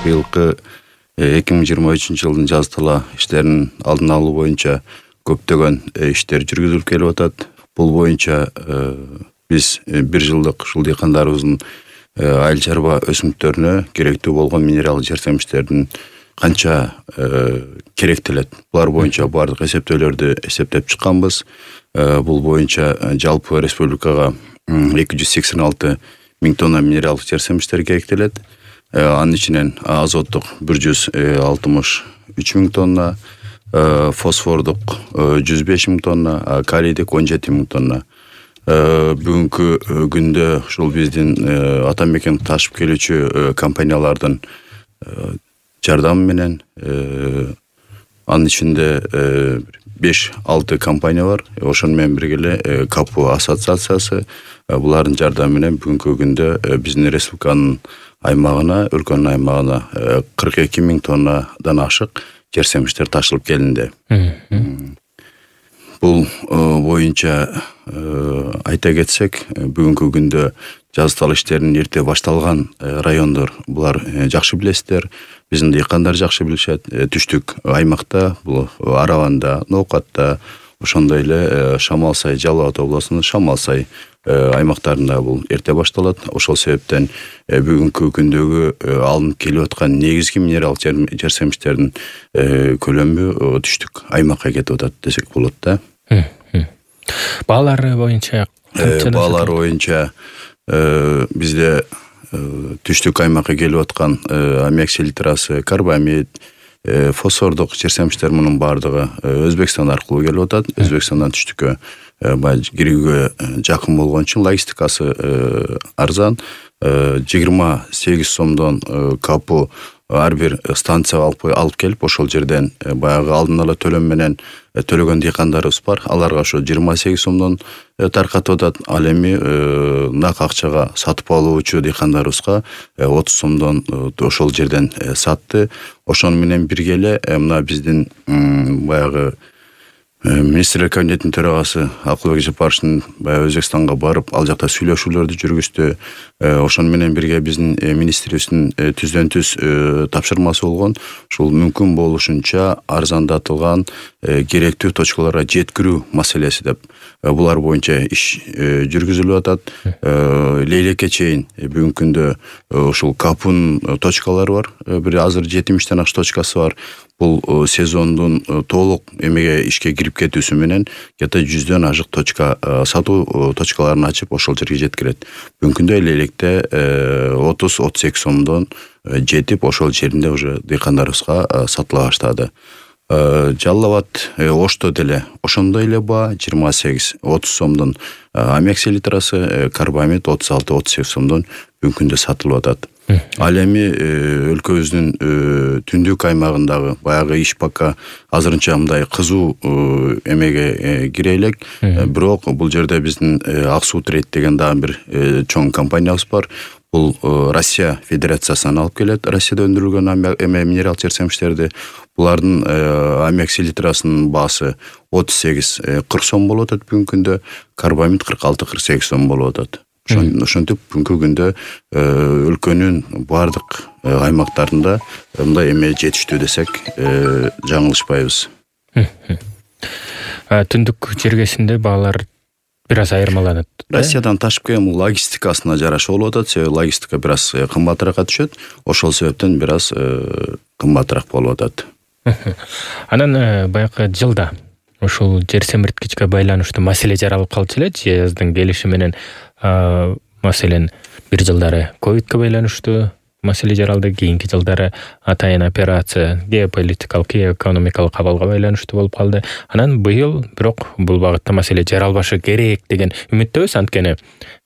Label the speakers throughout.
Speaker 1: быйылкы 2023 жазда эле иштерин алдын алуу боюнча көптөгөн иштер жүргүзүлүп келип атат. Бул боюнча биз бир жылдык ушул дыйкандарыбыздын айыл чарба өсүмдүктөрүнө керектүү болгон минералдык жерсемиштердин канча керектелет. Булар боюнча бардык эсептөөлөрдү эсептеп чыкканбыз. Бул боюнча жалпы республикага 286 миң тонна минералдык жерсемиштер керектелет. Анын ичинен азоттук 163 миң тонна, фосфордук 105 миң тонна, калийдик 17 миң тонна. Бүгүнкү күндө ушул биздин ата мекен ташып келүүчү компаниялардын жардамы менен анын ичинде 5-6 компания бар. Ошону менен бирге эле КАПУ ассоциациясы булардын жардамы менен бүгүнкү күндө биздин республиканын аймагына, өлкөнүн аймагына 42 миң тоннадан ашык жерсемиштер ташылып келинди. Бул боюнча айта кетсек, бүгүнкү күндө жаздал иштерин эрте башталган райондор булар жакшы билесиздер. Биздин дыйкандар жакшы билишет. Түштүк аймакта, бул Араванда, Ноокатта, ошондой эле Шамал-Сай, Жалал Абад областынын Шамал-Сай аймактарында бул эрте башталат. Ошол себептен бүгүнкү күндөгү алынып келип аткан негизги минералдык жерсемиштердин көлөмү түштүк аймакка кетип атат десек болот да.
Speaker 2: Баалары боюнча
Speaker 1: баалары боюнча бизде түштүк аймакка келип аткан аммиак селитрасы, карбамид, фосфордук жерсемиштер мунун бардыгы Өзбекстан аркылуу келип атат. Өзбекстандан түштүккө кирүүгө жакын болгон үчүн логистикасы арзан. 28 сомдон КАПУ ар бир станцияга алып келип, ошол жерден баягы алдын ала төлөм менен төлөгөн дыйкандарыбыз бар. Аларга ошо 28 сомдон таркатып атат. Ал эми нак акчага сатып алуучу дыйкандарыбызга 30 сомдон ошол жерден сатты. Ошону менен бирге эле мына биздин баягы министрлер кабинетинин төрагасы Акылбек Жапаровичтин баягы Өзбекстанга барып, ал жакта сүйлөшүүлөрдү жүргүздү. Ошону менен бирге биздин министрибиздин түздөн-түз тапшырмасы болгон. Ушул мүмкүн болушунча арзандатылган керектүү точкаларга жеткирүү маселеси деп. Булар боюнча иш жүргүзүлүп атат. Лейлекке чейин бүгүнкү күндө ушул КАПУнун точкалары бар. Бир азыр 70-тен ашык точкасы бар. Бул сезондун толук эмеге ишке кирип кетүүсү менен где-то 100дөн ашык точка сатуу точкаларын ачып ошол жерге жеткирет. Бүгүнкү күндө Лейлекте 30-32 сомдон жетип, ошол жеринде уже дыйкандарыбызга сатыла баштады. Жалал Абад, Ошто деле ошондой эле баа 28-30 сомдон аммиак селитрасы, карбамид 36-38 сомдон бүгүнкү күндө сатылып атат. Ал эми өлкөбүздүн түндүк аймагындагы баягы иш пока азырынча мындай кызуу эмеге кире элек. Бирок бул жерде биздин Ак суу трейд деген дагы бир чоң компаниябыз бар. Бул Россия Федерациясынан алып келет. Россияда өндүрүлгөн минерал жерсемиштерди. Булардын аммиак селитрасынын баасы 38-40 сом болуп атат бүгүнкү күндө. Карбамид 46-48 сом болуп атат. Ошентип бүгүнкү күндө өлкөнүн бардык аймактарында мындай эме жетиштүү десек жаңылышпайбыз.
Speaker 2: Түндүк жергесинде баалар бир аз айырмаланат.
Speaker 1: Россиядан ташып келген логистикасына жараша болуп атат. Себеби логистика бир аз кымбатыраакка түшөт. Ошол себептен бир аз кымбатыраак болуп атат.
Speaker 2: Анан баягы жылда ушул жер семирткичке байланыштуу маселе жаралып калчу эле жаздын келиши менен. Маселен, бир жылдары ковидке байланыштуу маселе жаралды, кийинки жылдары атайын операция геополитикалык, экономикалык абалга байланыштуу болуп калды. Анан быйыл бирок бул багытта маселе жаралбашы керек деген үмүттөбүз. Анткени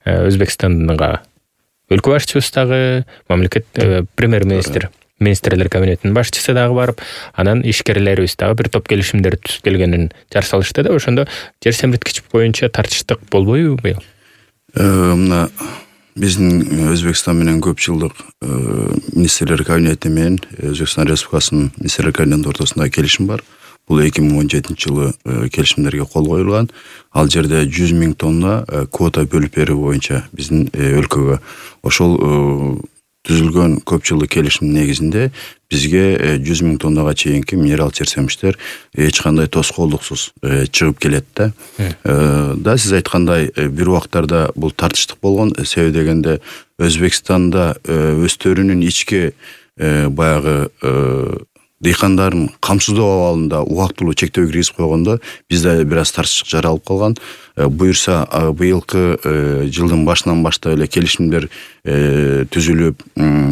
Speaker 2: Өзбекстанга өлкө башчыбыз дагы, мамлекет премьер-министр, министрлер кабинетинин башчысы дагы барып, анан ишкерлерибиз дагы бир топ келишимдер түзүп келгенин жар салышты да. Ошондо жер семирткич боюнча тартыштык болбойбу быйыл?
Speaker 1: Мына биздин Өзбекстан менен көп жылдык министрлер кабинети менен Өзбекстан Республикасынын министрлер кабинетинин ортосунда келишим бар. Бул 2017-жылы келишимдерге кол коюлган. Ал жерде 100 миң тонна квота бөлүп берүү боюнча биздин өлкөгө. Ошол түзүлгөн көп жылдык келишимдин негизинде бизге 100 000 тоннага чейинки минерал жерсемиштер эч кандай тоскоолдуксуз чыгып келет да. Да сиз айткандай бир убактарда бул тартыштык болгон. Себеби дегенде Өзбекстанда өстөрүнүн ички баягы дыйкандарын камсыздоо абалында убактылуу чектөө киргизип койгондо бизде бир аз тартыштык жаралып калган. Буюрса быйылкы жылдын башынан баштап эле келишимдер түзүлүп,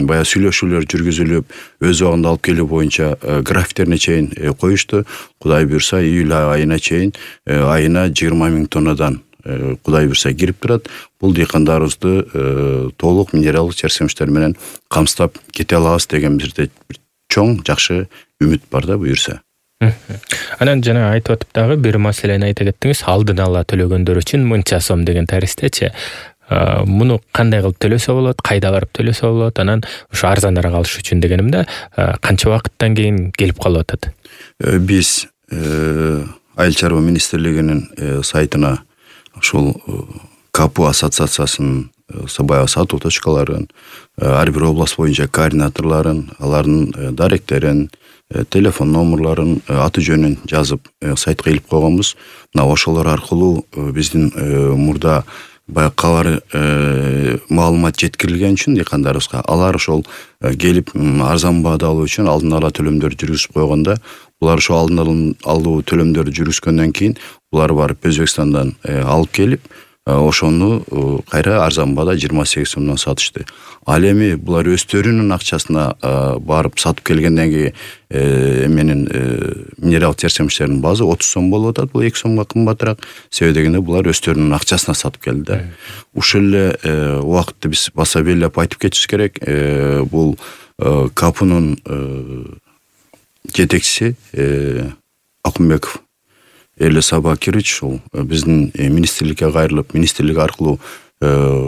Speaker 1: баягы сүйлөшүүлөр жүргүзүлүп, өз убагында алып келүү боюнча графиктерине чейин коюшту. Кудай буюрса июль айына чейин айына 20 000 тоннадан Кудай буюрса кирип турат. Бул дыйкандарыбызды толук минералдык жерсемиштер менен камсыздап кете алабыз деген бизде чоң жакшы үмүт бар да буюрса.
Speaker 2: Анан жана айтып атып дагы бир маселени айта кеттиңиз, алдын ала төлөгөндөр үчүн мынча сом деген тәрестечи. Муну кандай кылып төлөсө болот, кайда барып төлөсө болот, анан ошо арзаныраак алыш үчүн дегенимде канча убакыттан кийин келип калып атат?
Speaker 1: Биз Айыл чарба министрлигинин сайтына ушул КАПУ ассоциациясынын баягы сатуу точкаларын, ар бир область боюнча координаторлорун, алардын даректерин, телефон номерларын, аты жөнүн жазып сайтка илип койгонбуз. Мына ошолор аркылуу биздин мурда баягы кабар маалымат жеткирилген үчүн дыйкандарыбызга алар ошол келип арзан баада алуу үчүн алдын ала төлөмдөр жүргүзүп койгондо, булар ошо алдын алуу төлөмдөрдү жүргүзгөндөн кийин булар барып Өзбекстандан алып келип, ошону кайра арзан баада 28 сомдон сатышты. Ал эми булар өстөрүнүн акчасына барып сатып келгенден кийин менин минерал жерсемиштердин баазы 30 сом болуп атат. Бул 2 сомго кымбатыраак. Себеби дегенде булар өстөрүнүн акчасына сатып келди да. Ушул эле убакытты биз баса белгилеп айтып кетишибиз керек. Бул КАПУнун жетекчиси Акунбеков Эрле Сабакирович ушул биздин министрликке кайрылып, министрлик аркылуу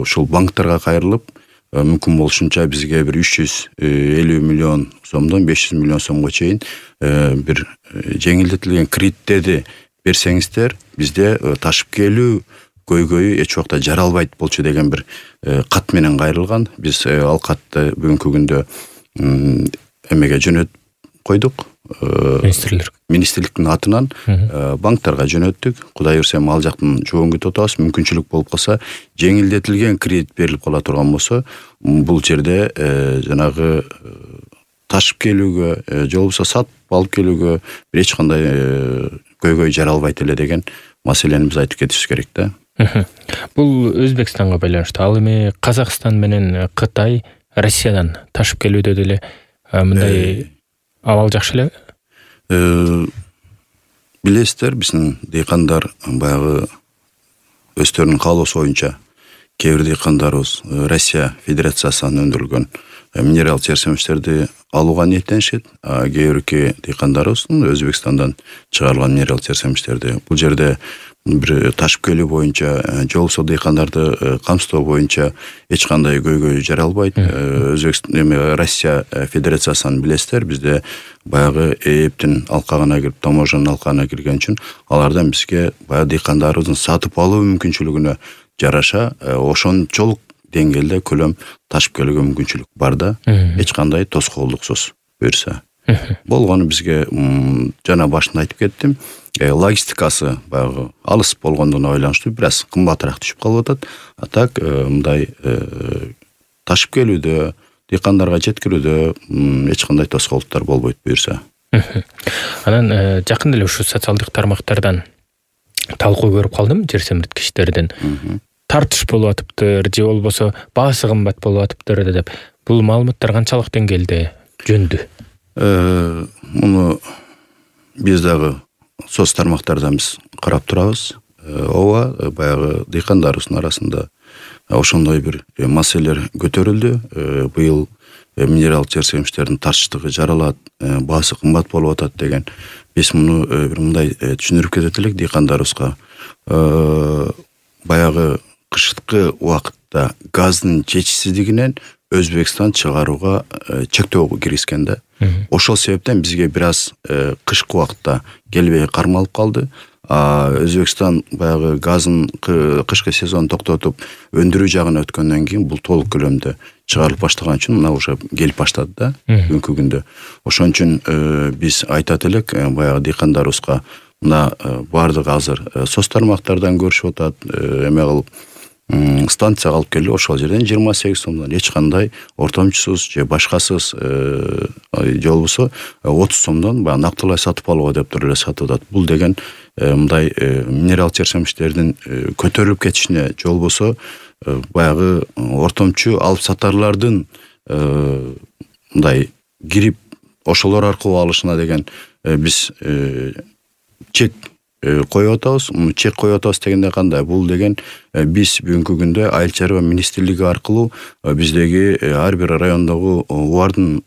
Speaker 1: ушул банктарга кайрылып, мүмкүн болушунча бизге бир 350 миллион сомдон 500 миллион сомго чейин бир жеңилдетилген кредиттерди берсеңиздер, бизде ташып келүү көйгөйү эч убакта жаралбайт болчу деген бир кат менен кайрылган. Биз ал катты бүгүнкү күндө эмеге жөнөтүп койдук. Министрликтин атынан банктарга жөнөттүк. Кудай буюрса ал жактан жоон күтүп атабыз. Мүмкүнчүлүк болуп калса, жеңилдетилген кредит берилип кала турган болсо, бул жерде жанагы ташып келүүгө, же болбосо сатып алып келүүгө эч кандай көйгөй жаралбайт эле деген маселени биз айтып кетишибиз керек да.
Speaker 2: Бул Өзбекстанга байланыштуу. Ал эми Казакстан менен Кытай Россиядан ташып келүүдө деле мындай абал жакшы эле.
Speaker 1: Билесиздер, биздин дыйкандар баягы өздөрүнүн каалоосу боюнча кээ бир дыйкандарыбыз Россия Федерациясынан өндүрүлгөн минерал жерсемиштерди алууга ниеттенишет. Кээ бирки дыйкандарыбыз Өзбекстандан чыгарылган минерал жерсемиштерди бул жерде бир ташып келүү боюнча, же болбосо дыйкандарды камсыздоо боюнча эч кандай көйгөй жаралбайт. Россия Федерациясынан билесиздер, бизде баягы ЭЭПтин алкагына кирип, таможенный алкагына кирген үчүн алардан бизге баягы дыйкандарыбыздын сатып алуу мүмкүнчүлүгүнө жараша ошончолук деңгээлде көлөм ташып келүүгө мүмкүнчүлүк бар да. Эч кандай тоскоолдуксуз буюрса. Болгону бизге жана башында айтып кеттим. Логистикасы баягы алыс болгондугуна байланыштуу бир аз кымбатыраак түшүп калып атат. А так мындай ташып келүүдө, дыйкандарга жеткирүүдө эч кандай тоскоолдуктар болбойт буюрса.
Speaker 2: Анан жакында эле ушу социалдык тармактардан талкуу көрүп калдым жерсемирткичтерден. Тартыш болуп атыптыр, же болбосо баасы кымбат болуп атыптыр деп. Бул маалыматтар канчалык деңгээлде жөндү?
Speaker 1: Муну биз дагы соц тармактардан биз карап турабыз. Ооба, баягы дыйкандарыбыздын арасында ошондой бир маселелер көтөрүлдү. Быйыл минерал жерсемиштердин тартыштыгы жаралат, баасы кымбат болуп атат деген. Биз муну бир мындай түшүндүрүп кетет элек дыйкандарыбызга. Баягы кышкы убакытта газдын жетишсиздигинен Өзбекстан чыгарууга чектөө киргизген да. Ошол себептен бизге бир аз кышкы убакытта келбей кармалып калды. Өзбекстан баягы газын кышкы сезон токтотуп өндүрүү жагына өткөндөн кийин бул толук көлөмдө чыгарылып баштаган үчүн мына уже келип баштады да бүгүнкү күндө. Ошон үчүн биз айтат элек баягы дыйкандарыбызга мына баардыгы азыр соц тармактардан көрүшүп атат, эме кылып станцияга алып келип ошол жерден 28 сомдон эч кандай ортомчусуз же башкасыз же болбосо 30 сомдон баягы нактылай сатып алууга деп туруп эле сатып атат. Бул деген мындай минерал жерсемиштердин көтөрүлүп кетишине же болбосо баягы ортомчу алып сатарлардын мындай кирип ошолор аркылуу алышына деген биз чек коюп атабыз. Чек коюп атабыз дегенде кандай? Бул деген биз бүгүнкү күндө Айыл чарба министрлиги аркылуу биздеги ар бир райондогу УАРдын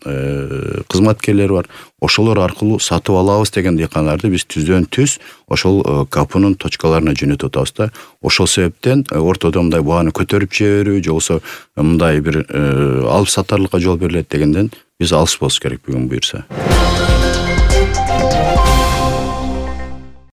Speaker 1: кызматкерлери бар. Ошолор аркылуу сатып алабыз деген дыйканларды биз түздөн түз ошол КАПнын точкаларына жөнөтүп атабыз да. Ошол себептен ортодо мындай бааны көтөрүп жиберүү же болбосо мындай бир алып сатарлыкка жол берилет дегенден биз алыс болуш керек бүгүн буюрса.